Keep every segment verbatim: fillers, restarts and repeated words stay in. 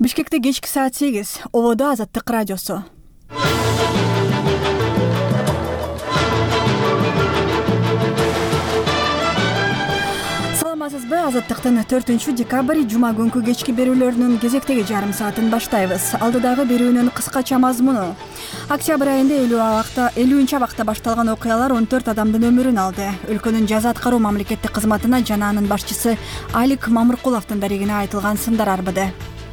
Бишкекте кечки саат сегиз. Ободо Азаттык радиосу. Саламатсызбы? Азаттыктын төртүнчү декабрь жума күнкү кечки берүүлөрүнүн кезектеги жарым саатын баштайбыз. Алдыдагы берүүнүн кыскача мазмуну. Октябрь айында элүүнчү абакта башталган окуялар он төрт адамдын өмүрүн алды. Өлкөнүн жаза аткаруу мамлекеттик кызматына жана анын башчысы Алик Мамыркуловдун дарегине айтылган сындар арбыды.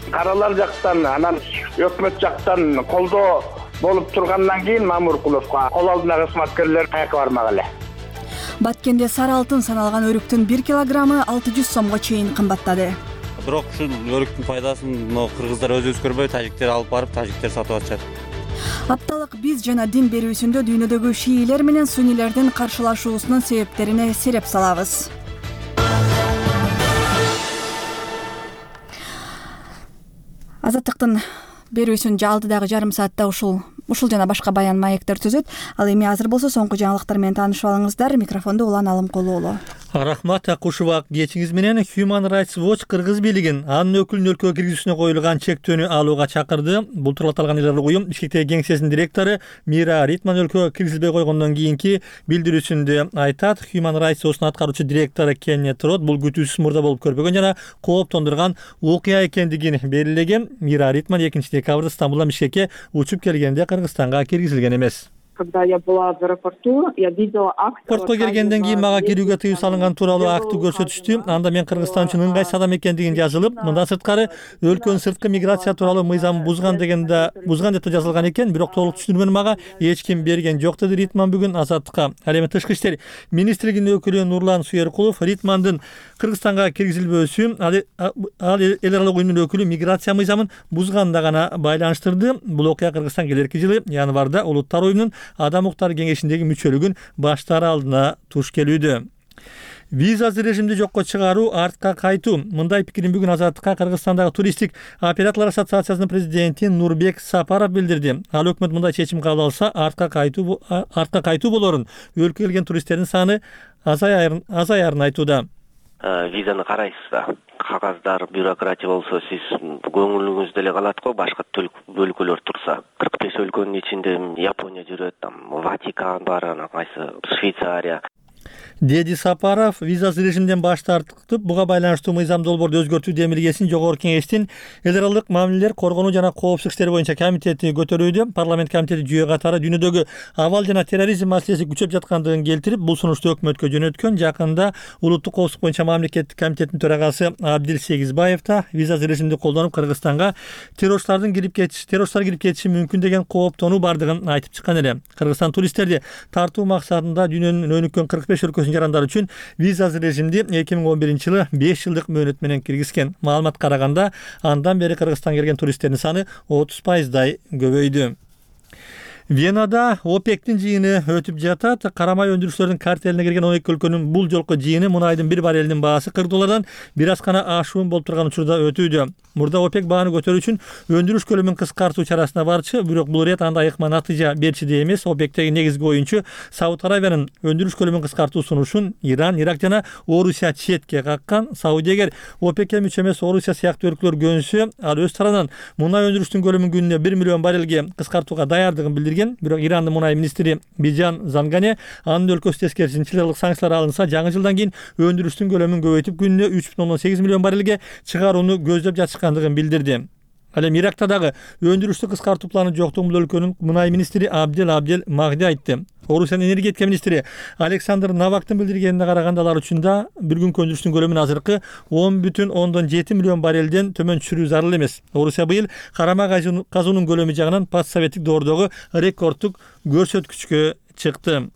Каралар жактан, анан өкмөт жактан колдоо болуп тургандан кийин Мамыркуловго кол алдына кызматкерлер кайка бармак эле. Баткенде сары алтын саналган өрүктүн бир килограммы алты жүз сомго чейин кымбаттады. Бирок ушул өрүктүн пайдасын но кыргыздар өзүбүз көрбөй, тажиктер алып барып, тажиктер сатып атышат. Апталык биз жана дин берүүсүндө дүйнөдөгү шиилер менен суннилердин каршылашуусунун себептерине сереп салабыз. Азаттыктын берүүсүн алдыдагы жарым саатта ушул ушул жана башка баян маектер түзөт. Ал эми азыр болсо соңку жаңылыктар менен таанышып алыңыздар. Микрофондо Улан Алымкулуулу. Рахмат Акушева. Кечиңиз менен Human Rights Watch Кыргыз бийлигин анын өкүлүн өлкөгө киргизүүсүнө коюлган чектөөнү алууга чакырды. Бул тууралуу аталган эл аралык уюм Бишкектеги кеңсесинин директору Мира Ритман өлкөгө киргизилбей койгондон кийинки билдирүүсүндө айтат. Human Rights Watch'ун аткаруучу директору Кеннет Рот бул күтүүсүз мурда болуп көрбөгөн жана кооптондурган окуя экендигин белгилеген. Мира Ритман экинчи декабрда Стамбулдан Бишкекке учуп келгенде Кыргызстанга киргизилген эмес. Когда я была в аэропорту, я видела акт. Портко келгенден кийин мага кирүүгө тыюу салынган тууралуу акты көрсөтүштү. Анда мен Кыргызстан үчүн ыңгайсыз адам экендигин жазылып, мындан сырткары өлкөнүн сырткы миграция тууралуу мыйзамын бузган дегенде бузган деп жазылган экен, бирок толук түшүндүрмөнү мага эч ким берген жок, деди Ритман бүгүн Азаттыкка. Ал эми тышкы иштер министрлигинин өкүлү Нурлан Суеркулов Ритмандын Кыргызстанга киргизилбөөсү ал эл аралык уюмдун өкүлү миграция мыйзамын бузганда гана байланыштырды. Бул окуя Кыргызстан келерки жылы январда Улуттар уюмунун Адам укуктары кеңешиндеги мүчөлүгүн баштары алдына туш келүүдө. Визасыз режимди жокко чыгаруу, артка кайтуу. Мындай пикирин бүгүн Азаттыкка Кыргызстандагы туристтик операторлор ассоциациясынын президенти Нурбек Сапаров билдирди. Ал өкмөт мындай чечим кабыл алса, артка кайтуу артка кайтуу болорун, өлкөгө келген туристтердин саны азаярын азаярын айтууда. Визаны карайсыз да. Кагаздар, бюрократия болсо сиз көңүлүңүздө эле калат го, башка өлкөлөр турса. кырк беш өлкөнүн ичинде Япония жүрөт, там Ватикан бар, анан кайсы Швейцария. Деди Сапаров визасыз режимден баш тартып, буга байланыштуу мыйзам долбоорду өзгөртүү демилгесин Жогорку Кеңештин эл аралык мамилелер, коргонуу жана коопсуздук иштери боюнча комитети көтөрүүдө. Парламент комитети жүйө катары дүйнөдөгү абал жана терроризм маселеси күчөп жаткандыгын келтирип, бул сунушту өкмөткө жөнөткөн. Жакында улуттук коопсуздук боюнча мамлекеттик комитеттин төрагасы Абдил Сегизбаев да визасыз режимди колдонуп, Кыргызстанга террорчулардын кирип кетиши, террорчулар кирип кетиши мүмкүн деген кооптонуу бардыгын айтып чыккан эле. Кыргызстан туристтерди тартуу максатында дүйнөнүн өнүккөн кырк беш өлкөсүнүн жарандар үчүн визасыз режимди эки миң он биринчи жылы беш жылдык мөөнөт менен киргизген. Маалыматка караганда, андан бери Кыргызстанга келген туристтердин саны отуз пайыздай көбөйдү. Венада ОПЕКтин жыйыны өтүп жатат. Карамай өндүрүүчүлөрдүн картелине кирген он эки өлкөнүн бул жолку жыйыны мунайдын bir барелинин баасы кырк доллардан бир аз гана ашуун болуп турган учурда өтүүдө. Мурда ОПЕК бааны көтөрүү үчүн өндүрүш көлөмүн кыскартуу чарасына барчы, бирок бул ирет анда айыкма натыйжа берчү де эмес. ОПЕКтеги негизги оюнчу Сауд Аравиянын өндүрүш көлөмүн кыскартуу сунушун Иран, Ирак жана Орусия четке каккан. Саудия эгер ОПЕКке мүчө эмес Орусия сыяктуу өлкөлөр көнсө, ал өз тарабынан мунай өндүрүштүн көлөмүн күнүнө бир миллион баррелге кыскартууга даярдыгын билдирген. Бирок Ирандын мунай министри Бижан Зангане анын өлкөсү тескерисинче чыгарылык санкциялар алынса, жаңы жылдан кийин өндүрүштүн көлөмүн көбөйтүп күнүнө үч бүтүн ондон сегиз миллион баррелге чыгарууну көздөп жатышкандыгын билдирди. Ал эми Иракта дагы өндүрүштү кыскартуу планы жоктугун бул өлкөнүн мунай министри Абдел Абдел Магди айтты. Орусиянын энергетика министри Александр Навактын билдиргенине караганда, алар үчүн да бир күнкү өндүрүштүн көлөмүн азыркы он бүтүн ондон жети миллион баррелден төмөн түшүрүү зарыл эмес. Орусия быйыл карама казуунун көлөмү жагынан постсоветтик доордогу рекордтук көрсөткүчкө чыкты.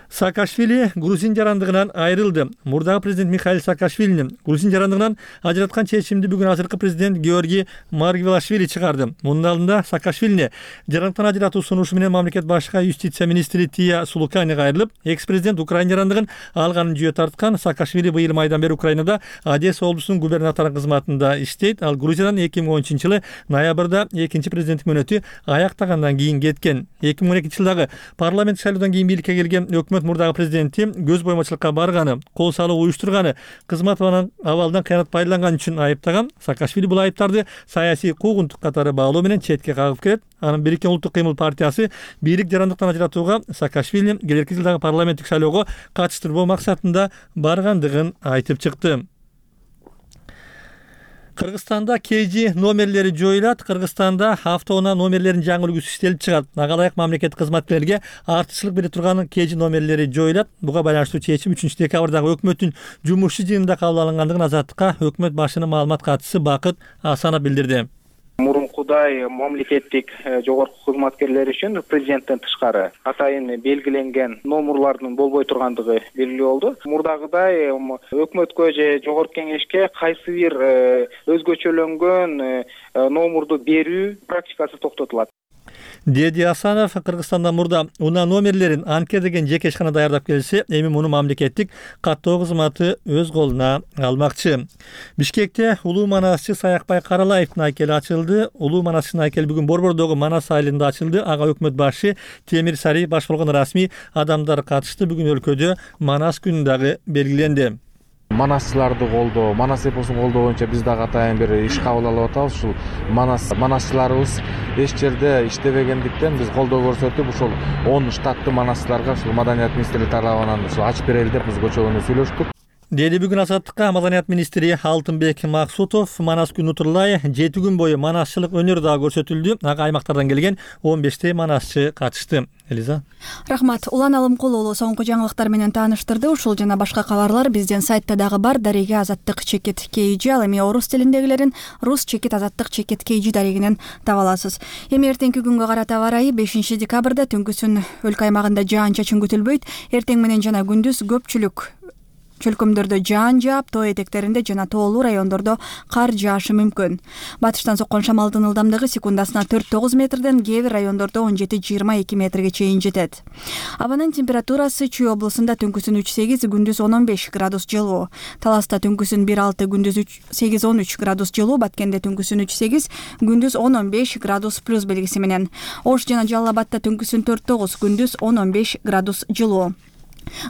Саакашвили грузин жарандыгынан айрылды. Мурдагы президент Михаил Саакашвилини грузин жарандыгынан ажыраткан чечимди бүгүн азыркы президент Георгий Маргвелашвили чыгарды. Мунун алдында Саакашвилини жарандыктан ажыратуу сунушу менен мамлекет башка юстиция министри Тия Сулуканига айрылып, экс-президент Украина жарандыгын алганын жүйө тарткан. Саакашвили быйыл майдан бери Украинада Одесса облусунун губернатору кызматында иштейт. Ал Грузиядан эки миң он үчүнчү жылы ноябрда экинчи президенттик мөөнөтү аяктагандан кийин кеткен. эки миң он экинчи жылдагы парламент шайлоодон кийин бийликке келген өкмөт өкмөт мурдагы президенти көз боймочулукка барганы, кол салуу уюштурганы, кызмат абалынан кыянат пайдаланган үчүн айыптаган. Саакашвили бул айыптарды саясий куугунтук катары баалоо менен четке кагып келет. Анын Бириккен улуттук кыймыл партиясы бийлик жарандыктан ажыратууга Саакашвили келерки жылдагы парламенттик шайлоого катыштырбоо максатында баргандыгын айтып чыкты. Кыргызстанда кей жи номерлери жоюлат. Кыргызстанда автоунаа номерлеринин жаңы үлгүсү иштелип чыгат. Ага ылайык мамлекеттик кызматкерлерге артыкчылык бере турган кей жи номерлери жоюлат. Буга байланыштуу чечим үчүнчү декабрдагы өкмөттүн жумушчу жыйынында кабыл алынгандыгын Азаттыкка өкмөт башынын маалымат катчысы Бакыт Асанов билдирди. Мурункудай мамлекеттик жогорку кызматкерлер үчүн президенттен тышкары атайын белгиленген номерлардын болбой тургандыгы белгилүү болду. Мурдагыдай өкмөткө же жогорку кеңешке кайсы бир өзгөчөлөнгөн номерду берүү практикасы токтотулат, деди Асанов. Кыргызстанда мурда унаа номерлерин анке деген жеке ишкана даярдап келсе, эми муну мамлекеттик каттоо кызматы өз колуна алмакчы. Бишкекте улуу манасчы Саякбай Каралаевдин айкели ачылды. Улуу манасчынын айкели бүгүн Борбордогу Манас айылында ачылды. Ага өкмөт башы Темир Сари баш болгон расмий адамдар катышты. Бүгүн өлкөдө Манас күнү дагы белгиленди. Манасчыларды колдоо, Манас эпосун колдоо боюнча биз дагы атайын бир иш кабыл алып атабыз. Ушул Манас манасчыларыбыз эч жерде иштебегендиктен биз колдоо көрсөтүп, ушул он штаттуу манасчыларга ушул Маданият министрлиги тарабынан ушул ачып берели деп биз көчөгөнү сүйлөштүк. Деди бүгүн Азаттыкка Маданият министри Алтынбек Максутов. Манас күнү утурлай жети күн бою манасчылык өнөр дагы көрсөтүлдү. Ага аймактардан келген он бештей манасчы катышты. Элиза. Рахмат. Улан Алымкулуулу соңку жаңылыктар менен тааныштырды. Ушул жана башка кабарлар биздин сайтта дагы бар. Дареге Азаттык чекит kg, ал эми орус тилиндегилерин рус чекит Азаттык чекит kg дарегинен таба аласыз. Эми эртеңки күнгө карата барайы бешинчи декабрда түнкүсүн өлкө аймагында жаан-чачын күтүлбөйт. Эртең менен жана күндүз көпчүлүк чөлкөмдөрдө жаан жаап, тоо этектеринде жана тоолуу райондордо кар жаашы мүмкүн. Батыштан соккон шамалдын ылдамдыгы секундасына төрт тогуз метрден, кээ бир райондордо он жети жыйырма эки метрге чейин жетет. Абанын температурасы Чүй облусунда түнкүсүн үч сегиз, күндүз он он беш градус жылуу. Таласта түнкүсүн бир алты, күндүз сегиз он үч градус жылуу. Баткенде түнкүсүн үч сегиз, күндүз он он беш градус плюс белгиси менен. Ош жана Жалал Абадта түнкүсүн төрт тогуз, күндүз он он беш градус жылуу.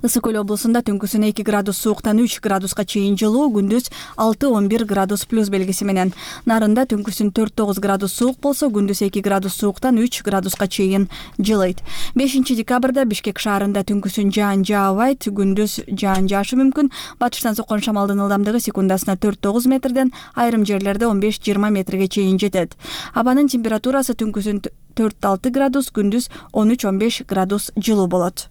Ысык көл облусунда түнкүсүн эки градус сууктан үч градуска чейин жылуу, күндүз алты он бир градус плюс белгиси менен. Нарында түнкүсүн төрт тогуз градус суук болсо, күндүз эки градус сууктан үч градуска чейин жылыйт. бешинчи декабрда Бишкек шаарында түнкүсүн жаан жаабайт, күндүз жаан жаашы мүмкүн. Батыштан соккон шамалдын ылдамдыгы секундасына төрт тогуз метрден, айрым жерлерде он беш жыйырма метрге чейин жетет. Абанын температурасы түнкүсүн төрт алты градус, күндүз он үч он беш градус жылуу болот.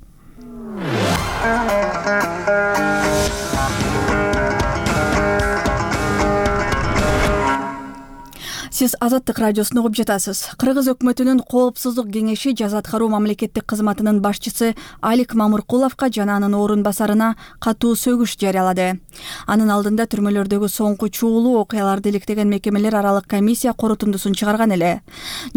Сиз Азаттык радиосун угуп жатасыз. Кыргыз өкмөтүнүн коопсуздук кеңеши жаза аткаруу мамлекеттик кызматынын башчысы Алик Мамыркуловго жана анын орун басарына катуу сөгүш жарыялады. Анын алдында түрмөлөрдөгү соңку чуулуу окуяларды иликтеген мекемелер аралык комиссия корутундусун чыгарган эле.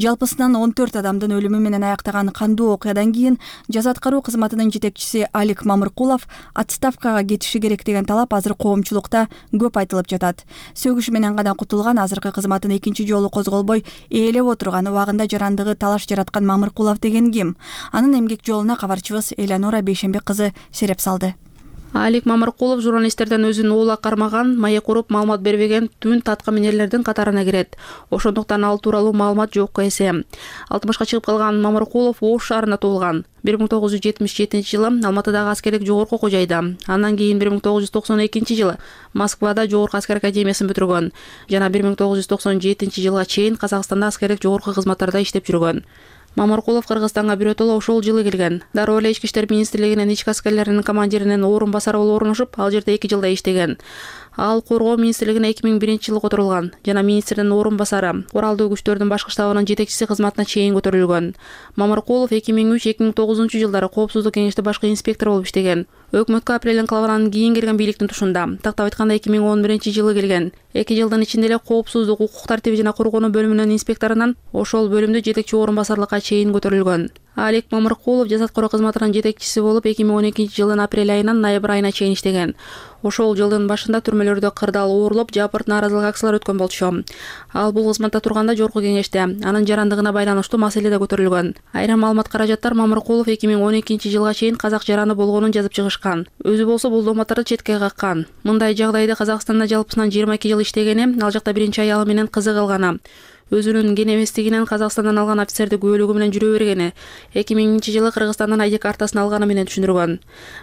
Жалпысынан он төрт адамдын өлүмү менен аяктаган кандуу окуядан кийин жаза аткаруу кызматынын жетекчиси Алик Мамыркулов отставкага кетиши керек деген талап азыр коомчулукта көп айтылып жатат. Сөгүш менен гана кутулган, азыркы кызматын экинчи жолу козголбой ээлеп отурган, убагында жарандыгы талаш жараткан Мамыркулов деген ким? Анын эмгек жолуна кабарчыбыз Элянора Бейшембек кызы сереп салды. Алик Мамыркулов журналисттерден өзүн оола кармаган, маек уруп маалымат бербеген түн таткаминерлердин катарына кирет. Ошондуктан ал тууралуу маалымат жокко эсе. алтымышка чыгып калган Мамыркулов Ош шаарында туулган. бир миң тогуз жүз жетимиш жетинчи жылы Алматыдагы аскерлик жогорку окуу жайда, андан кийин бир миң тогуз жүз токсон экинчи жылы Москвада жогорку аскер академиясын бүтүргөн жана бир миң тогуз жүз токсон жетинчи жылга чейин Казакстанда аскерлик жогорку кызматтарда иштеп жүргөн. Мамыркулов Кыргызстанга биротоло ошол жылы келген. Дароо эле Ички иштер министрлигинин ички аскерлеринин командиринин орун басары болуп орношуп, ал жерде эки жылда иштеген. Ал коргоо министрлигине эки миң биринчи жылы которулган жана министрдин орун басары, Уралдуу күчтөрдүн башкы штабынын жетекчиси кызматына чейин көтөрүлгөн. Мамыркулов эки миң үч эки миң тогузунчу жылдары коопсуздук кеңеште башкы инспектор болуп иштеген. Өкмөткө апрель инкылабынан кийин келген бийликтин тушунда, тактап айтканда эки миң он биринчи жылы келген. эки жылдын ичинде эле коопсуздук, укук тартиби жана коргонуу бөлүмүнүн инспекторунан ошол бөлүмдө жетекчи орун басарлыкка чейин көтөрүлгөн. Алик Мамыркулов жаза аткаруу кызматынын жетекчиси болуп эки миң он экинчи жылдын апрель айынан ноябрь айына чейин иштеген. Ошол жылдын башында түрмөлөрдө кырдаал оорлоп, жапырт нааразылык акциялары өткөн болчу. Ал бул кызматта турганда жогорку кеңеште анын жарандыгына байланыштуу маселе да көтөрүлгөн. Айрым маалымат каражаттар Мамыркулов эки миң он экинчи жылга чейин казак жараны болгонун жазып чыгышкан. Өзү болсо бул дооматтарды четке каккан. Мындай жагдайда Казакстанда жалпысынан жыйырма эки жыл иштегени, ал жакта биринчи аялы менен кызы калганы. Өзүнүн кен эместигинен Казакстандан алган офицерди күбөлүгү менен жүрө бергени, эки миңинчи жылы Кыргызстандан айдик картасын алганы менен түшүндүргөн.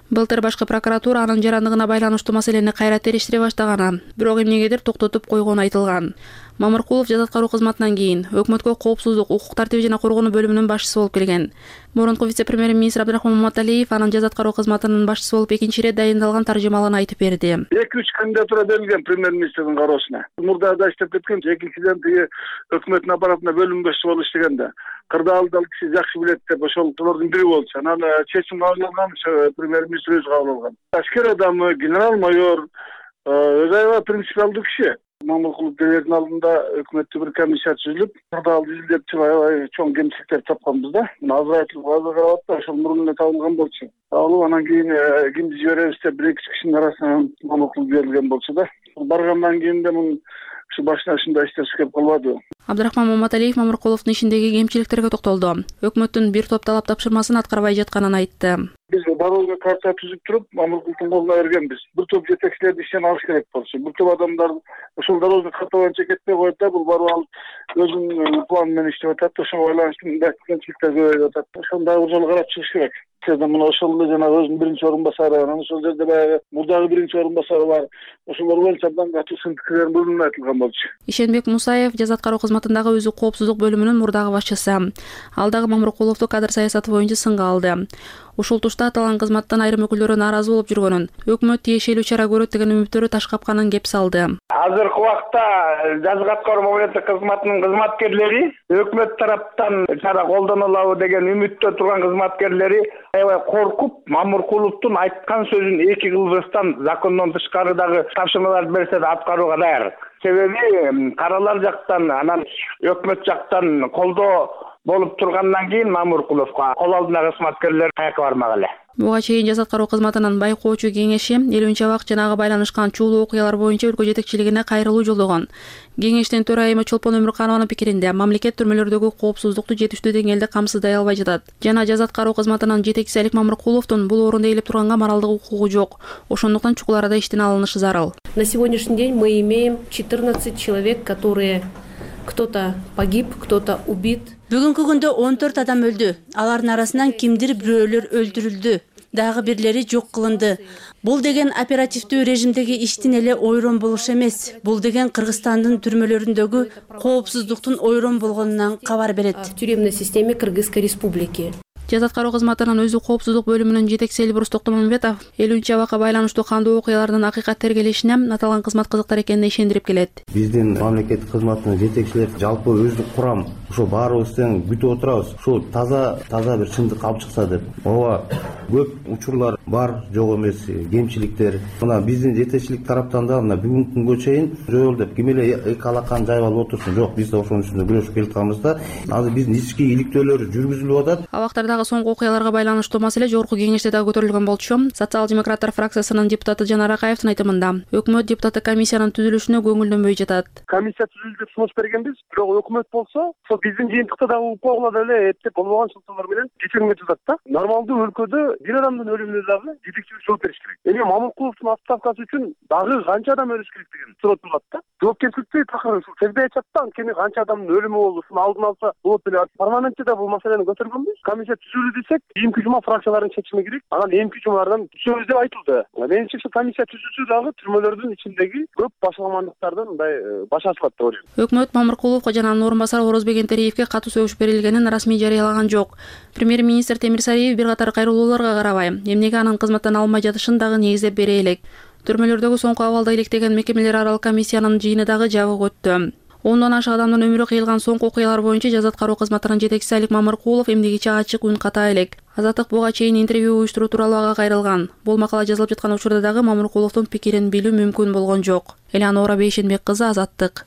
Былтыр башкы прокуратура анын жарандыгына байланыштуу маселени кайра териштире баштаганы, бирок эмнегедир токтотуп койгону айтылган. Мамыркулов жаз аткаруу кызматынан кийин өкмөткө коопсуздук, укук тартиби жана коргонуу бөлүмүнүн башчысы болуп келген. Мурунку вице-премьер-министр Абдрахман Маматалиев анын жаз аткаруу кызматынын башчысы болуп экинчи ирет дайындалган таржымалын айтып берди. эки үч кандидатура берилген премьер-министрдин кароосуна. Мурдада иштеп кеткен, экинчиден тиги өкмөттүн аппаратында бөлүм башчысы болуп иштегенде кырдаалды ал киши жакшы билет деп ошолордун бири болчу. Анан чечим кабыл алган премьер-министр өзү кабыл алган. Аскер адамы, генерал-майор, өзү аябай принципиалдуу киши. Мамыркулов делердин алдында өкмөттү бир комиссия түзүлүп, кырдаалды изилдеп чыгып аябай чоң кемчиликтер тапканбыз да. Мына азыр айтылып азыр карап атты, ошол мурун эле табылган болчу. Алып анан кийин кимди жиберебиз деп бир эки кишинин арасынан Мамыркулов берилген болчу да. Баргандан кийин да мун ушу башына ушундай иштер келип калбады. Абдрахман Маматалиев Мамыркуловдун ишиндеги кемчиликтерге токтолду. Өкмөттүн бир топ талап тапшырмасын аткарбай жатканын айтты. Биз барууга карта түзүп туруп, Мамыркуловдун колуна бергенбиз. Бир топ жетекчилерди иштен алыш керек болчу. Бир топ адамдар ошол дорожный карта боюнча кетпей коет да, бул барып алып өзүнүн планы менен иштеп атат. Ошого байланыштуу мындай кемчиликтер көбөйүп атат. Ошондой бир жолу карап чыгыш керек. Мына ошол эле жана өзүнүн биринчи орун басары, анан ошол жерде баягы мурдагы биринчи орун басары бар. Ошолор боюнча абдан катуу сын-пикирлерин бөлүнүп айтылган болчу. Ишенбек Мусаев жаз аткаруу кызматындагы өзү коопсуздук бөлүмүнүн мурдагы башчысы. Ал дагы Мамыркуловду кадр саясаты боюнча сынга алды. Ушул тушта аталган кызматтан айрым өкүлдөрү нааразы болуп жүргөнүн, өкмөт тиешелүү чара көрөт деген үмүттөрү таш капканын кеп салды. Азыркы убакта жаз аткаруу мамлекеттик кызматынын кызматкерлери өкмөт тараптан чара колдонулабы деген үмүттө турган кызматкерлери аябай коркуп, Мамыркуловдун айткан сөзүн эки кылбастан закондон тышкарыдагы тапшырмаларды берсе да аткарууга даяр. Себеби каралар жактан, анан өкмөт жактан колдоо болуп тургандан кийин Мамыркуловго кол алдындагы кызматкерлер каяка бармак эле. Буга чейин жаз аткаруу кызматынын байкоочу кеңеши элүүнчү абак жанагы байланышкан чуулуу окуялар боюнча өлкө жетекчилигине кайрылуу жолдогон. Кеңештин төрайымы Чолпон Өмүрканованын пикиринде мамлекет түрмөлөрдөгү коопсуздукту жетиштүү деңгээлде камсыздай албай жатат. Жана жаз аткаруу кызматынын жетекчиси Алик Мамыркуловдун бул орунда ээлеп турганга моралдык укугу жок. Ошондуктан чукул арада иштен алынышы зарыл. На сегодняшний день мы имеем четырнадцать человек, которые кто-то погиб, кто-то убит. Бүгүнкү күндө он төрт адам өлдү. Алардын арасынан кимдир бирөөлөр өлтүрүлдү. Дагы бирлери жок кылынды. Бул деген оперативдүү режимдеги иштин эле ойрон болуш эмес. Бул деген Кыргызстандын түрмөлөрүндөгү коопсуздуктун ойрон болгонунан кабар берет. В тюремной системе Кыргызской республики. Жаз аткаруу кызматынын өзү коопсуздук бөлүмүнүн жетекчиси Элбурус Токтомамбетов элүүнчү абакка байланыштуу кандуу окуялардын акыйкат тергелешине аталган кызмат кызыктар экенине ишендирип келет. Биздин мамлекеттик кызматтын жетекчилери жалпы өздүк курам ошо баарыбыз тең күтүп отурабыз. Ушул таза таза бир чындык алып чыкса деп. Ооба, көп учурлар бар, жок эмес, кемчиликтер. Мына биздин жетекчилик тараптан да мына бүгүнкү күнгө чейин жол деп ким эле эки алаканы жайып алып отурсун. Жок, биз да ошонун үстүндө күрөшүп келатканбыз да. Азыр биздин ички иликтөөлөр жүргүзүлүп атат. Абактардагы соңку окуяларга байланыштуу маселе жогорку кеңеште дагы көтөрүлгөн болчу. Социал-демократтар фракциясынын депутаты Жанар Акаевдин айтымында өкмөт депутаттык комиссиянын түзүлүшүнө көңүлдөнбөй жатат. Комиссия түзүлдү деп сунуш бергенбиз, бирок өкмөт болсо, ошол биздин жыйынтыкта дагы укугула деле эптеп болбогон шылтоолор менен кечирим өтүп да. Нормалдуу өлкөдө бир адамдын өлүмүнө дагы жетекчилик жооп бериш керек. Эми Мамыркуловдун отставкасы үчүн дагы канча адам өлүш керек деген суроо турат да. Жоопкерчиликти такыр ушул сезбей атат, анткени канча адамдын өлүмү болду, ушуну алдын алса болот эле. Парламентте да бул маселени көтөргөнбүз. Комиссия түзүлдү десек, эмки жума фракциялардын чечими керек. Анан эмки жумалардан түшөбүз деп айтылды. Менимче ушул комиссия түзүлсө дагы түрмөлөрдүн ичиндеги көп башаламандыктардан мындай баш ашылат деп ойлойм. Өкмөт Мамыркуловго жана анын орун басары Орозбек Энтериевге катуу сөгүш берилгенин расмий жарыялаган жок. Премьер-министр Темир Сариев бир катар кайрылууларга карабай, эмнеге анын кызматтан алынбай жатышын дагы негиздеп бере элек. Түрмөлөрдөгү соңку абалда иликтеген мекемелер аралык комиссиянын жыйыны дагы жабык өттү. Ондон ашык адамдын өмүрү кыйылган соңку окуялар боюнча жаз аткаруу кызматынын жетекчиси Алик Мамыркулов эмнегече ачык үн ката элек. Азаттык буга чейин интервью уюштуруу тууралуу ага кайрылган. Бул макала жазылып жаткан учурда дагы Мамыркуловдун пикирин билүү мүмкүн болгон жок. Элеонора Бейшенбек кызы, Азаттык.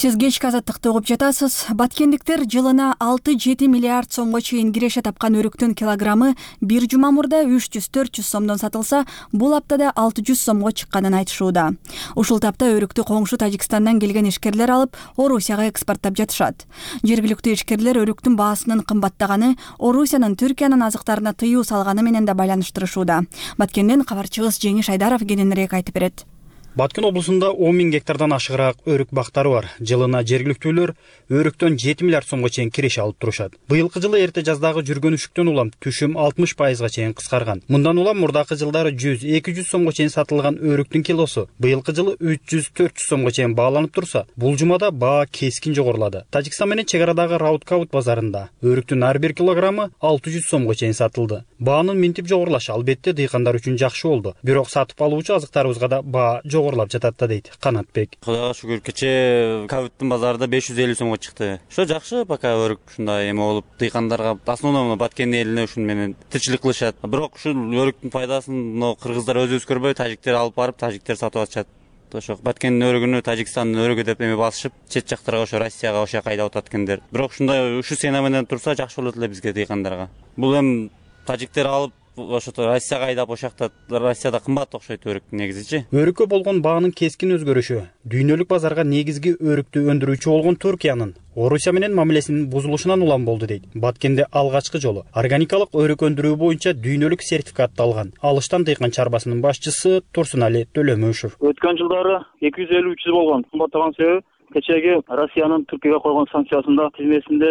Сиз кечки азаттыкты угуп жатасыз. Баткендиктер жылына алты жети миллиард сомго чейин киреше тапкан өрүктүн килограммы бир жума мурда үч жүз төрт жүз сомдон сатылса, бул аптада алты жүз сомго чыкканын айтышууда. Ушул тапта өрүктү коңшу Тажикстандан келген ишкерлер алып, Орусияга экспорттап жатышат. Жергиликтүү ишкерлер өрүктүн баасынын кымбаттаганы Орусиянын Түркиянын азыктарына тыюу салганы менен да байланыштырышууда. Баткенден кабарчыбыз Жеңиш Айдаров кененирээк айтып берет. Баткен облусунда он миң гектардан ашыгыраак өрүк бактары бар. Жылына жергиликтүүлөр өрүктөн жети миллиард сомго чейин киреше алып турушат. Быйылкы жылы эрте жаздагы жүргөн үшүктөн улам түшүм алтымыш пайызга чейин кыскарган. Мындан улам мурдакы жылдары жүз эки жүз сомго чейин сатылган өрүктүн килосу быйылкы жылы үч жүз төрт жүз сомго чейин бааланып турса, бул жумада баа кескин жогорулады. Тажикстан менен чек арадагы Раудкаут базарында өрүктүн ар бир килограммы алты жүз сомго чейин сатылды. Баанын минтип жогорулашы албетте дыйкандар үчүн жакшы болду. Бирок сатып алуучу азыктарыбызга да баа жогорулап жатат да дейт Канатбек. Кудайга шүгүр, кечээ Кауттун базарында беш жүз элүү сомго чыкты. Ошо жакшы, пока өрүк ушундай эме болуп, дыйкандарга основном Баткен элине ушун менен тирчилик кылышат. Бирок ушул өрүктүн пайдасын кыргыздар өзүбүз көрбөй, тажиктер алып барып, тажиктер сатып атышат. Ошо Баткендин өрүгүнү Тажикстандын өрүгү деп эме басышып, чет жактарга, ошо Россияга, ошо жака айдап атат экендер. Бирок ушундай ушул сцена менен турса жакшы болот эле бизге дыйкандарга. Бул эми тажиктер алып ошо Россияга айдап, ошакта Россияда кымбат окшойт өрүк негизичи. Өрүккө болгон баанын кескин өзгөрүшү дүйнөлүк базарга негизги өрүктү өндүрүүчү болгон Туркиянын Орусия менен мамилесинин бузулушунан улам болду дейт. Баткенде алгачкы жолу органикалык өрүк өндүрүү боюнча дүйнөлүк сертификатты алган Алыштан дыйкан чарбасынын башчысы Турсунали Төлөмөшев. Өткөн жылдары эки жүз элүү үч жүз болгон. Кымбаттаган себеби кечеги Россиянын Түркияга койгон санкциясында тизмесинде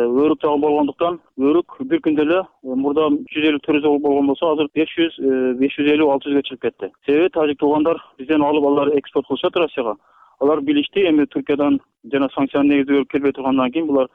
өрүк жагы болгондуктан өрүк бир күндө эле мурда үч жүз элүү төрт жүз болгон болсо, азыр беш жүз беш жүз элүү алты жүзгө чыгып кетти. Себеби тажик туугандар бизден алып алар экспорт кылышат Россияга. Алар билишти, эми Түркиядан жана санкциянын негизинде өрүк келбей тургандан кийин булар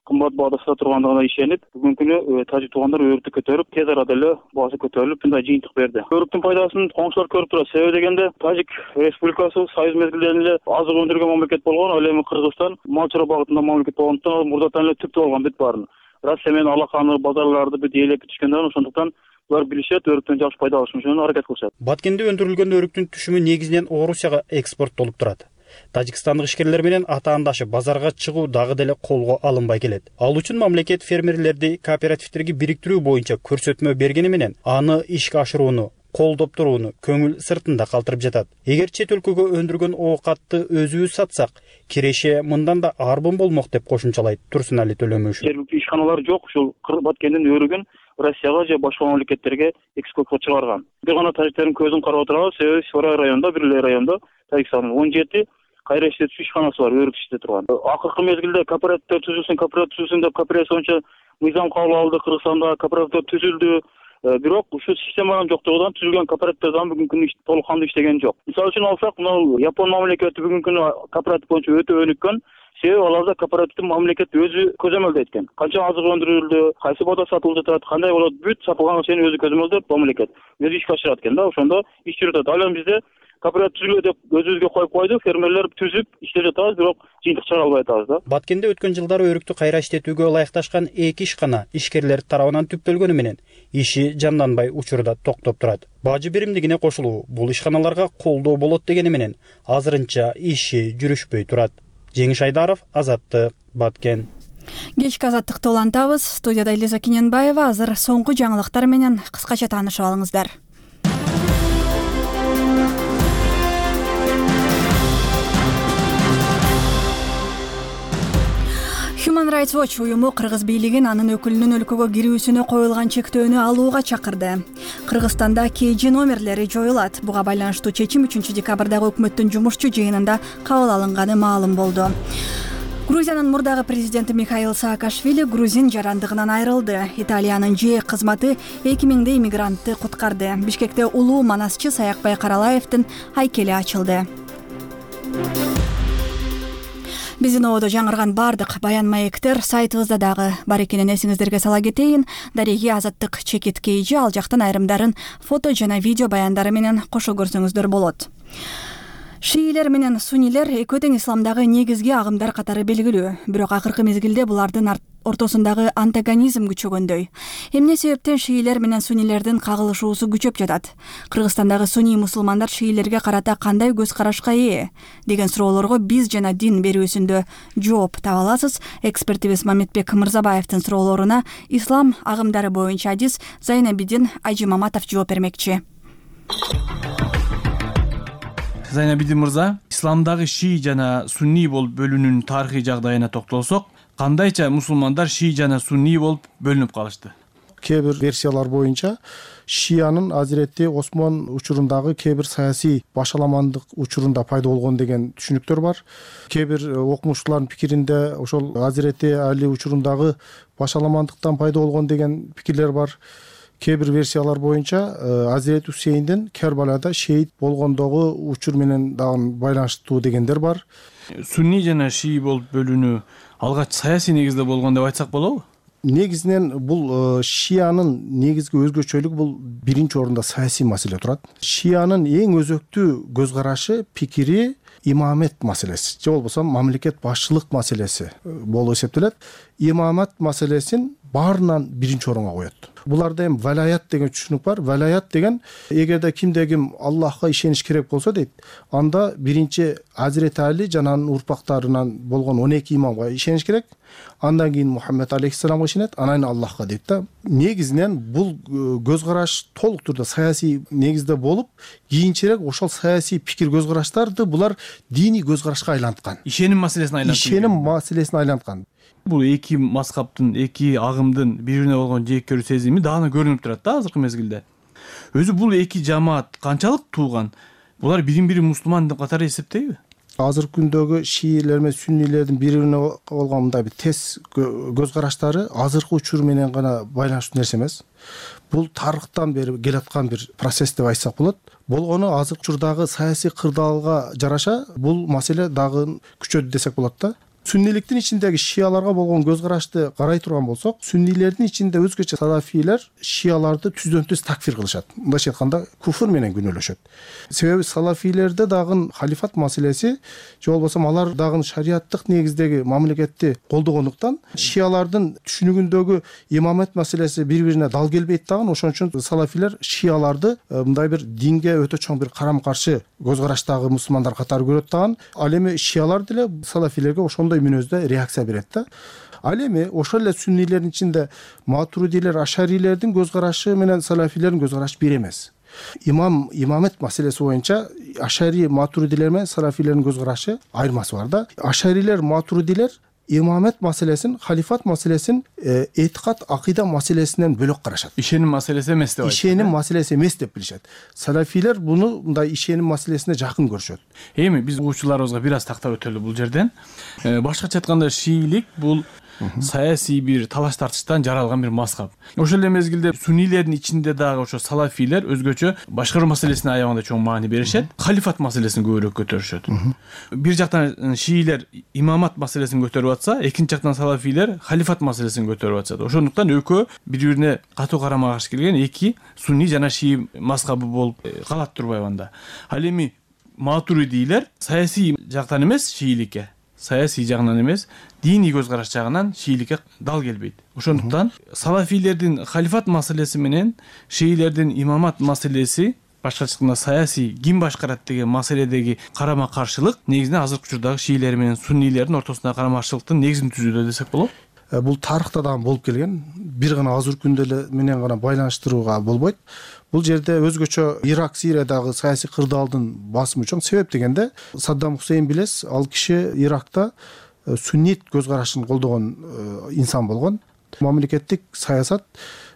кымбат баада сата тургандыгына ишенип, бүгүнкү күнү тажик туугандар өрүктү көтөрүп, тез арада эле баасы көтөрүлүп, мындай жыйынтык берди. Өрүктүн пайдасын коңшулар көрүп турат. Себеби дегенде Тажик Республикасы союз мезгилдеринде эле азык өндүргөн мамлекет болгон, ал эми Кыргызстан мал чарба багытында мамлекет болгондуктан мурдатан эле түптүү болгон бүт баарын. Россия менен алаканы, базарларды бүт ээлеп түшкөндөн ошондуктан булар билишет, өрүктөн жакшы пайда алыш үчүн аракет кылышат. Баткенде өндүрүлгөн өрүктүн түшүмү негизинен Орусияга экспорттолуп турат. Тажикстандык ишкерлер менен атаандашы базарга чыгуу дагы деле колго алынбай келет. Ал үчүн мамлекет фермерлерди кооперативтерге бириктирүү боюнча көрсөтмө бергени менен аны ишке ашырууну, колдоп турууну көңүл сыртында калтырып жатат. Эгер чет өлкөгө өндүргөн оокатты өзүбүз сатсак, киреше мындан да арбын болмок деп кошумчалайт Турсунали Төлөмөшев. Жергиликтүү ишканалар жок, ушул Баткендин өрүгүн Россияга же башка мамлекеттерге экспортко чыгарган. Бир гана тажиктердин көзүн карап отурабыз, себеби Сорай районунда, бир эле райондо Тажикстандын он жети кайра иштетүү ишканасы бар, өрүк иштете турган. Акыркы мезгилде кооперативдер түзүлсүн, кооператив түзүлсүн деп кооперация боюнча мыйзам кабыл алды, Кыргызстанда кооперативдер түзүлдү. Бирок ушул системанын жоктугунан түзүлгөн кооперативдер дагы бүгүнкү күнү толук кандуу иштеген жок. Мисалы үчүн алсак, мына Япон мамлекети бүгүнкү күнү кооператив боюнча өтө өнүккөн. Себеби аларда кооперативдин мамлекет өзү көзөмөлдөйт экен. Канча азык өндүрүлдү, кайсы баада сатылып жатат, кандай болот, бүт сатылган нерсени өзү көзөмөлдөп мамлекет өзү ишке ашырат экен да. Ошондо иш жүрүп атат. Ал эми бизде кооператив түзүлгө деп өзүбүзгө коюп койдук, фермерлер түзүп иштеп жатабыз, бирок жыйынтык чыгара албай атабыз да. Баткенде өткөн жылдары өрүктү кайра иштетүүгө ылайыкташкан эки ишкана ишкерлер тарабынан түптөлгөнү менен иши жанданбай учурда токтоп турат. Бажы биримдигине кошулуу бул ишканаларга колдоо болот дегени менен азырынча иши жүрүшпөй турат. Жеңиш Айдаров, Азаттык, Баткен. Кечки азаттыкты улантабыз. Студияда Элиза Кененбаева. Азыр соңку жаңылыктар менен кыскача таанышып алыңыздар. Human Rights Watch уюму Кыргыз бийлигин анын өкүлүнүн өлкөгө кирүүсүнө коюлган чектөөнү алууга чакырды. Кыргызстанда кей жи номерлери жоюлат. Буга байланыштуу чечим үчүнчү декабрдагы өкмөттүн жумушчу жыйынында кабыл алынганы маалым болду. Грузиянын мурдагы президенти Михаил Саакашвили грузин жарандыгынан айрылды. Италиянын ЖЭЭК кызматы эки миңдей иммигрантты куткарды. Бишкекте улуу манасчы Саякбай Каралаевдин айкели ачылды. Биздин ободо жаңырган бардык баян маектер сайтыбызда дагы бар экенин эсиңиздерге сала кетейин. Дареги Азаттык чекит кейжи ал жактан айрымдарын фото жана видео баяндары менен кошо көрсөңүздөр болот. Шиилер менен суннилер экөө тең исламдагы негизги агымдар катары белгилүү. Бирок акыркы мезгилде булардын ортосундагы антагонизм күчөгөндөй. Эмне себептен шиилер менен суннилердин кагылышуусу күчөп жатат? Кыргызстандагы сунний мусулмандар шиилерге карата кандай көз карашка ээ деген суроолорго биз жана дин берүүсүндө жооп таба аласыз. Экспертибиз Мамедбек Мырзабаевдин суроолоруна ислам агымдары боюнча адис Зайнабидин Ажимаматов жооп бермекчи. Зайнабидин мырза, исламдагы шии жана сунний болуп бөлүнүүнүн тарыхый жагдайына токтолсок, кандайча мусулмандар шии жана сунний болуп бөлүнүп калышты? Кээ бир версиялар боюнча шиянын Азирети Осмон учурундагы кээ бир саясий башаламандык учурунда пайда болгон деген түшүнүктөр бар. Кээ бир окумуштуулардын пикиринде ошол Азирети Али учурундагы башаламандыктан пайда болгон деген пикирлер бар. Кээ бир версиялар боюнча Азирет Хусейндин Кербалада шейит болгондогу учур менен дагы байланыштуу дегендер бар. Сунний жана шии болуп бөлүнүү алгач саясий негизде болгон деп айтсак болобу? Негизинен бул шиянын негизги өзгөчөлүгү бул биринчи орунда саясий маселе турат. Шиянын эң өзөктүү көз карашы, пикири имамет маселеси же болбосо мамлекет башчылык маселеси болуп эсептелет. Имамат маселесин баарынан биринчи орунга коет. Буларда эми валаят деген түшүнүк бар. Валаят деген эгерде кимде ким Аллахка ишениш керек болсо дейт, анда биринчи Азирет Али жана анын урпактарынан болгон он эки имамга ишениш керек. Андан кийин Мухаммед алейхиссаламга ишенет, анан Аллахка дейт да. Негизинен бул көз караш толук түрдө саясий негизде болуп, кийинчерээк ошол саясий пикир көз караштарды булар диний көз карашка айланткан. Ишеним маселесине айланткан. Ишеним маселесине айланткан. Бул эки мазхабтын, эки агымдын бири-бирине болгон жек көрүү сезими дагы көрүнүп турат да азыркы мезгилде. Өзү бул эки жамаат канчалык туулган? Булар бирин-бири мусулман катары эсептейби? Азыркы күндөгү шиилер менен суннилердин бири-бирине болгон мындай бир тез көз караштары азыркы учур менен гана байланыштуу нерсе эмес. Бул тарыхтан бери келаткан бир процесс деп айтсак болот. Болгону азыркы учурдагы саясий кырдаалга жараша бул маселе дагы күчөдү десек болот да. Сунниликтин ичиндеги шияларга болгон көз карашты карай турган болсок, суннилердин ичинде өзгөчө салафийлер шияларды түздөн түз такфир кылышат. Мындайча айтканда куфр менен күнөөлөшөт. Себеби салафийлерде дагы халифат маселеси же болбосо алар дагы шариаттык негиздеги мамлекетти колдогондуктан шиялардын түшүнүгүндөгү имамет маселеси бири-бирине дал келбейт дагы. Ошон үчүн салафийлер шияларды мындай бир динге өтө чоң бир карама каршы көз караштагы мусулмандар катары көрөт дагы. Ал эми шиялар деле салафийлерге ошондой мүнөздө реакция берет да. Ал эми ошол эле суннилердин ичинде матуридилер, ашарилердин көз карашы менен салафилердин көз карашы бир эмес. Имам имамет маселеси боюнча ашари матуридилер менен салафилердин көз карашы айырмасы бар да. Ашарилер, матуридилер имамет маселесин, халифат маселесин этикат, акыйда маселесинен бөлөк карашат. Ишеним маселеси эмес деп айтат. Ишеним маселеси эмес деп билишет. Салафилер буну мындай ишеним маселесине жакын көрүшөт. Эми биз угуучуларыбызга бир аз тактап өтөлү бул жерден. Башкача айтканда шиилик бул саясий бир талаш тартыштан жаралган бир мазхаб. Ошол эле мезгилде суннилердин ичинде дагы ошо салафийлер өзгөчө башкаруу маселесине аябаганда чоң маани беришет, халифат маселесин көбүрөөк көтөрүшөт. Бир жактан шиилер имамат маселесин көтөрүп атса, экинчи жактан салафийлер халифат маселесин көтөрүп атышат. Ошондуктан экөө бири-бирине катуу карама каршы келген эки сунний жана шии мазхабы болуп калат турбайбы анда. Ал эми матуридилер саясий жактан эмес шииликке, саясий жагынан эмес, диний көз караш жагынан шииликке дал келбейт. Ошондуктан салафийлердин халифат маселеси менен шиилердин имамат маселеси, башкача айтканда саясий ким башкарат деген маселедеги карама каршылык негизинен азыркы учурдагы шиилер менен суннилердин ортосундагы карама каршылыктын негизин түзүүдө десек болот. Бул тарыхта дагы болуп келген. Бир гана азыркы күндө эле менен гана байланыштырууга болбойт. Бул жерде өзгөчө Ирак, Сириядагы саясий кырдаалдын басымы чоң. Себеп дегенде Саддам Хусейн билес, ал киши Иракта суннит көз карашын колдогон инсан болгон. Мамлекеттик саясат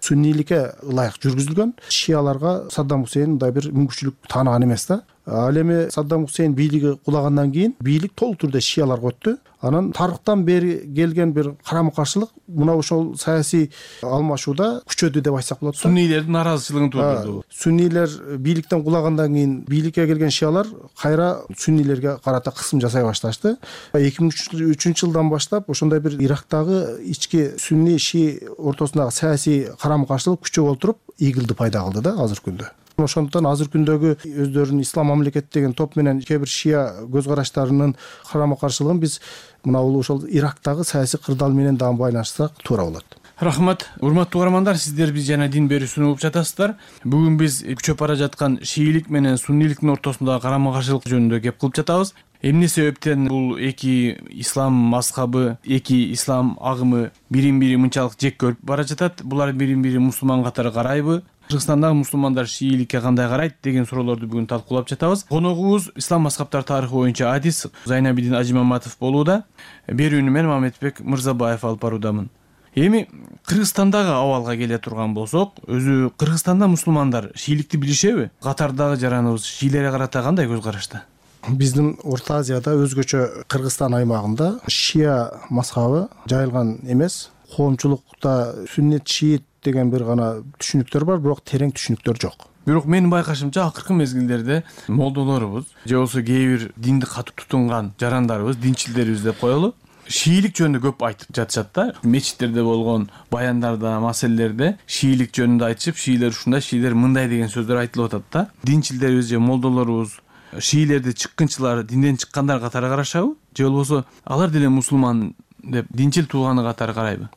сунниликке ылайык жүргүзүлгөн. Шияларга Саддам Хусейн мындай бир мүмкүнчүлүк тааныган эмес да. Ал эми Саддам Хусейн бийлиги кулагандан кийин бийлик толук түрдө шияларга өттү. Анан тарыхтан бери келген бир карама каршылык мына ошол саясий алмашууда күчөдү деп айтсак болот. Суннилердин наразычылыгын туудурду. Суннилер бийликтен кулагандан кийин бийликке келген шиялар кайра суннилерге карата кысым жасай башташты. эки миң үчүнчү жылдан баштап ошондой бир Ирактагы ички сунни шии ортосундагы саясий карама каршылык күчөп олтуруп игилди пайда кылды да азыркы күндө. Ошондуктан азыркы күндөгү өздөрүнүн ислам мамлекети деген топ менен кээ бир шия көз караштарынын карама каршылыгын биз мына бул ошол Ирактагы саясий кырдаал менен дагы байланыштырсак туура болот. Рахмат. Урматтуу угармандар, сиздер биз жана дин берүүсүн угуп жатасыздар. Бүгүн биз күчөп бара жаткан шиилик менен суннийликтин ортосундагы карама каршылык жөнүндө кеп кылып жатабыз. Эмне себептен бул эки ислам мазхабы, эки ислам агымы бирин-бири мынчалык жек көрүп бара жатат? Булар бирин-бири мусулман катары карайбы? Кыргызстандагы мусулмандар шииликке кандай карайт деген суроолорду бүгүн талкуулап жатабыз. Коногубуз ислам мазхабтар тарыхы боюнча адис Зайнабидин Ажимаматов болууда. Берүүнү мен Мамедбек Мырзабаев алып баруудамын. Эми Кыргызстандагы абалга келе турган болсок, өзү Кыргызстанда мусулмандар шииликти билишеби? Катардагы жараныбыз шиилерге карата кандай көз карашта? Биздин Орто Азияда өзгөчө Кыргызстан аймагында шия мазхабы жайылган эмес. Коомчулукта сүннет шиит деген бир гана түшүнүктөр бар, бирок терең түшүнүктөр жок. Бирок менин байкашымча акыркы мезгилдерде молдолорубуз же болбосо кээ бир динди катуу тутунган жарандарыбыз, динчилдерибиз деп коелу, шиилик жөнүндө көп айтып жатышат да. Мечиттерде болгон баяндарда, маселелерде шиилик жөнүндө айтышып, шиилер ушундай, шиилер мындай деген сөздөр айтылып атат да. Динчилдерибиз же молдолорубуз шиилерди чыккынчылар, динден чыккандар катары карашабы? Же болбосо алар деле мусулман деп динчил тууганы катары карайбы?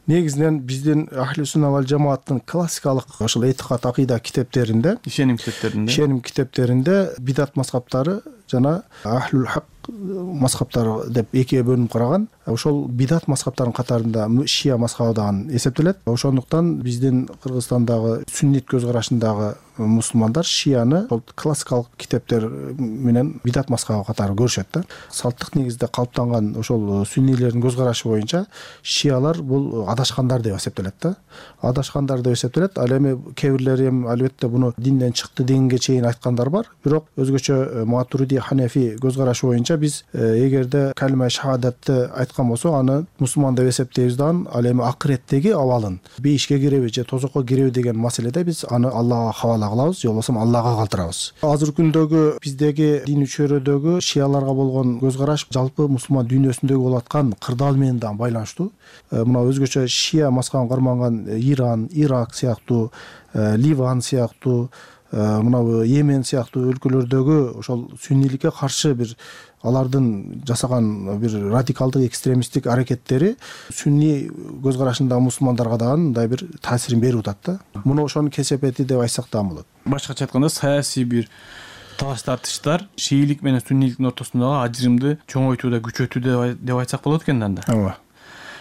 Негизинен биздин Ахли Сунна вал Жамааттын классикалык ошол этикат акыйда китептеринде, ишеним китептеринде, ишеним китептеринде бидат мазхабтары жана Ахлул Хак мазхабтары деп экиге бөлүнүп караган. Ошол бидат мазхабтарынын катарында шия мазхабы дагы эсептелет. Ошондуктан биздин Кыргызстандагы сүннит көз карашындагы мусулмандар шияны ошол классикалык китептер менен бидат мазхабы катары көрүшөт да. Салттык негизде калыптанган ошол сүннийлердин көз карашы боюнча шиялар бул адашкандар деп эсептелет да. Адашкандар деп эсептелет. Ал эми кээ бирлери эми албетте буну динден чыкты дегенге чейин айткандар бар. Бирок өзгөчө Матуриди, Ханефи көз карашы боюнча биз эгерде калима шахадатты айткан болсок, аны мусулман деп эсептейбиз да. Ал эми акыреттеги абалын бейишке киреби же тозокко киреби деген маселеде биз аны Аллага хавала кылабыз, же болбосо Аллага калтырабыз. Азыркы күндөгү биздеги дин чөйрөдөгү шияларга болгон көз караш жалпы мусулман дүйнөсүндөгү болуп аткан кырдаал менен дагы байланыштуу. Мына өзгөчө шия мазхабын карманган Иран, Ирак сыяктуу, Ливан сыяктуу, мына Йемен сыяктуу өлкөлөрдөгү ошол сүннийликке каршы бир алардын жасаган бир радикалдык экстремисттик аракеттери сүнни көз карашындагы мусулмандарга дагы мындай бир таасирин берип атат да. Муну ошонун кесепети деп айтсак дагы болот. Башкача айтканда саясий бир талаш тартыштар шиилик менен сүннийликтин ортосундагы ажырымды чоңойтууда, күчөтүүдө деп айтсак болот экен да. Ооба.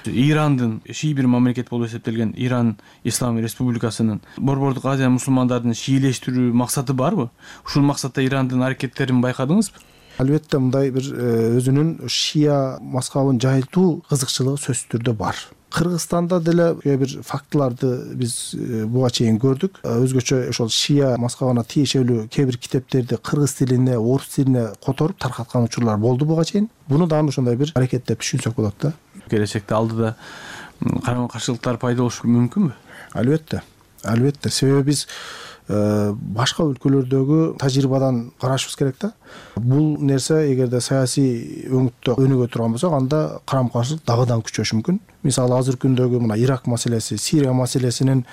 Ирандын ший бир мамлекет болуп эсептелген Иран Ислам Республикасынын Борбордук Азия мусулмандарын шиилештирүү максаты барбы? Ушул максатта Ирандын аракеттерин байкадыңызбы? Албетте мындай бир өзүнүн шия мазхабын жайылтуу кызыкчылыгы сөзсүз түрдө бар. Кыргызстанда деле кээ бир фактыларды биз буга чейин көрдүк. Өзгөчө ошол шия мазхабына тиешелүү кээ бир китептерди кыргыз тилине, орус тилине которуп таркаткан учурлар болду буга чейин. Буну дагы ошондой бир аракет деп түшүнсөк болот да. Келечекте алдыда карама каршылыктар пайда болушу мүмкүнбү? Албетте. Албетте. Себеби биз башка өлкөлөрдөгү тажрыйбадан карашыбыз керек да. Бул нерсе эгерде саясий өңүттө өнүгө турган болсо, анда карама каршылык дагыдан күчөшү мүмкүн. Мисалы азыркы күндөгү мына Ирак маселеси, Сирия маселесинин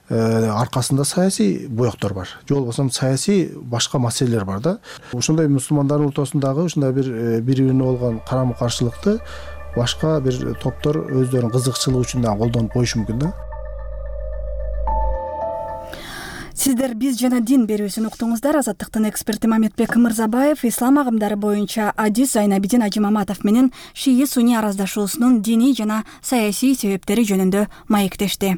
аркасында саясий боектор бар. Же болбосо саясий башка маселелер бар да. Ошондой мусулмандардын ортосундагы ушундай бир бири-бирине болгон карама каршылыкты башка бир топтор өздөрүнүн кызыкчылыгы үчүн да колдонуп коюшу мүмкүн да. Сиздер биз жана дин берүүсүн уктуңуздар. Азаттыктын эксперти Мамедбек Мырзабаев ислам агымдары боюнча адис Зайнабидин Ажимаматов менен шии сунни араздашуусунун диний жана саясий себептери жөнүндө маектешти.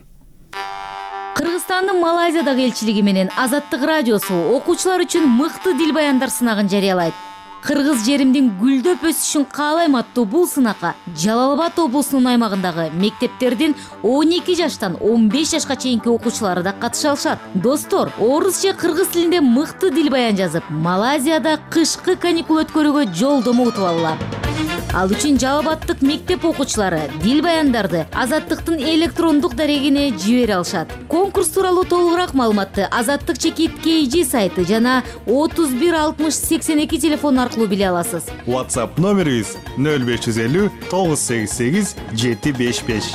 Кыргызстандын Малайзиядагы элчилиги менен Азаттык радиосу окуучулар үчүн мыкты дил баяндар сынагын жарыялайт. Кыргыз жеримдин гүлдөп өсүшүн каалайм аттуу бул сынакка Жалал Абад облусунун аймагындагы мектептердин он эки жаштан он беш жашка чейинки окуучулары да катыша алышат. Достор, орус же кыргыз тилинде мыкты дил баян жазып, Малайзияда кышкы каникул өткөрүүгө жолдомо утуп алгыла. Ал үчүн Жалал Абадтык мектеп окуучулары дил баяндарды Азаттыктын электрондук дарегине жибере алышат. Конкурс тууралуу толугураак маалыматты Азаттык чекит кей джи сайты жана отуз бир алтымыш сексен эки телефон аркылуу биле аласыз. WhatsApp номерибиз нөл беш жүз элүү тогуз сегиз сегиз жети беш беш.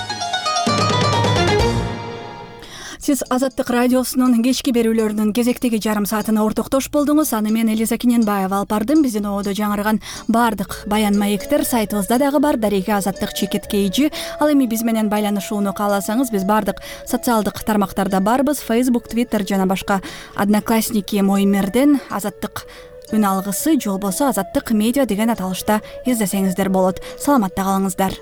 Сиз Азаттык радиосунун кечки берүүлөрүнүн кезектеги жарым саатына ортоктош болдуңуз. Аны мен Элиза Киненбаева алып бардым. Биздин ободо жаңырган баардык баян маектер сайтыбызда дагы бар. Дареги Азаттык чекит кейжи. Ал эми биз менен байланышууну кааласаңыз, биз баардык социалдык тармактарда барбыз. Facebook, Twitter жана башка Одноклассники Моимерден Азаттык үн алгысы же болбосо Азаттык медиа деген аталышта издесеңиздер болот. Саламатта калыңыздар.